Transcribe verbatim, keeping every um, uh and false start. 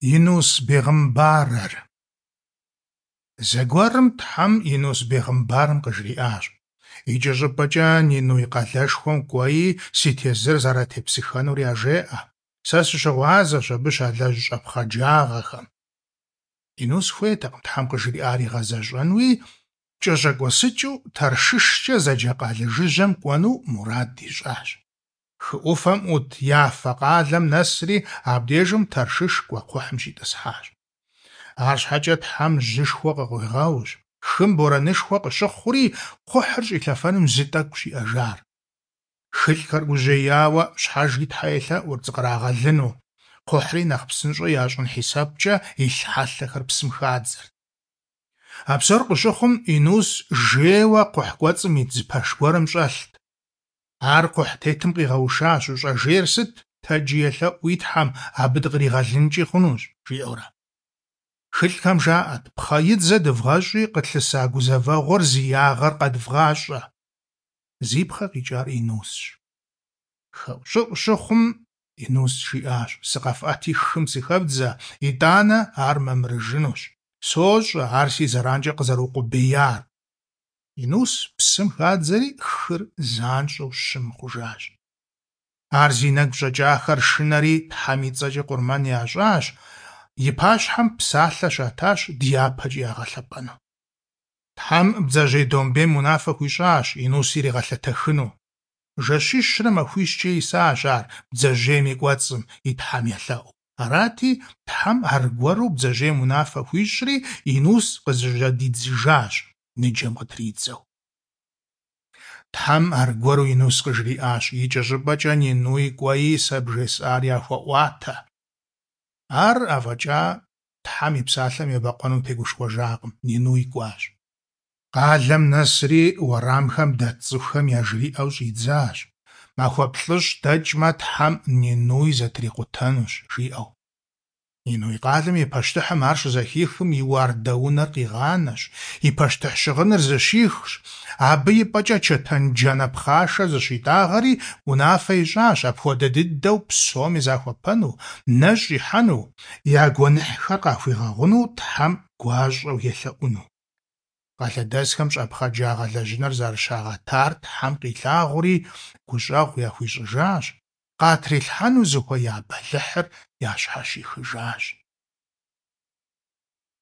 Yinus bêğımbarer. Zeguerım Them Yinus bêğımbarım khıjri'aş. Yiç'ı ş'ıp'eç'e Ninu yi khaleşşxuem k'uei si têzır zeratêpsıxenur yajjê'e. Se sışığuazeş abı şalej ş'epxhecağexem. Yinus xuêytekhım Them khıjri'ar yiğezeş'enui ç'eş'ek'uesıç'ıu terşşışç'e zeca khale jjıjem k'uenu murad yiş'aş. Xı 'Ufem 'Ut yafe khalem nesri abdêjjım terşşış k'uekxhuhım şit'ıshaş. Arşheç'e Them jışşxue khıkhuiğeuş. Xım boranışşxue khışıxhuri kxhuhır ş'ilhefenum zı t'ek'u şi'ejjar. Xılhxer gujêyaue şhejjri The yêlhe'ur ts'ıkhrağelыnu. Kxhuhri nexh psınş'e yaş'ın hisebç'e yilh helhexer psım xadzert. A psor khışıxhum Yinus jjêyue kxhuh k'uets'ım yit zı peşş guerım ş'elht. Ar kxhuh têtım khiğeuşşaş, vuş'ejjêyr sıt, tecı yêlhe'ui Them abı dıkhriğelınç'i xhunuş, jji'eure. Xılhxem jja'et pxhe yidze dıvğeş'i khıtlhısa guzeveğuer zi yağer khedvğaş'e. Zi pxhe khiç'ar Yinusş. Ş'ı'u-ş'ıxhum Yinus jji'aş: Sıkhef'eti xım sıxebdze, yit'ane ar memırıjjınuş. Soş'e ar si zeranç'e khızerıukhubeiyar. Yinus psım xadzeri xır zanş'eu şım xhujjaş. Ar zi negu ş'eç'axer şşıneri Them yi ts'eç'e khurmen yaş'aş. Yi paşhem psalhe şataş dyapeç'i yağelhep'enu. Them bdzejêy dombêym vunafe xuiş'aş Yinus yiriğelhetexınu. Jjeşişre maxuişç'e yisaş ar bdzejêym yi k'uets'ım yi Them yêlhe'u. Arati Them argueru bdzejêym vunafe xuiş'ri Yinus khızejjedidzıjjaş nicem khıtridzeu. Them argueru Yinus khıjri'aş: Yiç'e ş'ıp'eç'e Ninui k'uei se bjjês'ar yaxue'uate. Ar afeç'a Them yi psalhem yêbekhuenu têguşşxuejjakhım, Ninu yik'uaş. Khalem nesri vueramxem det ts'ıxuxem yajjri'eu ş'idzaş. Maxue plh'ış' deç'me Them Ninuy zetrikhuttenuş, jji'eu. Ninu yi khalem yi peştıhım ar şızexixım yi vuarde vuner khiğaneş, yi peştıh şığınır zışixş. Abı yip'eç'e çetencene pxhaşşe zışit'ağeri vunafe yiş'aş, apxuede dıdeu psomi zaxuepenu, neş' yihenu, ya guenıhxer khaxuiğeğunu Them guaş'eu yêlhe'unu. Khalhedesxem ş'epxhecağ khalejjıner zerışağetar Them khilhağuri guş'eğu yaxuiş'ıjjaş. Khatrilhhenu zıxueya belıhır yaşheşixıjjaş.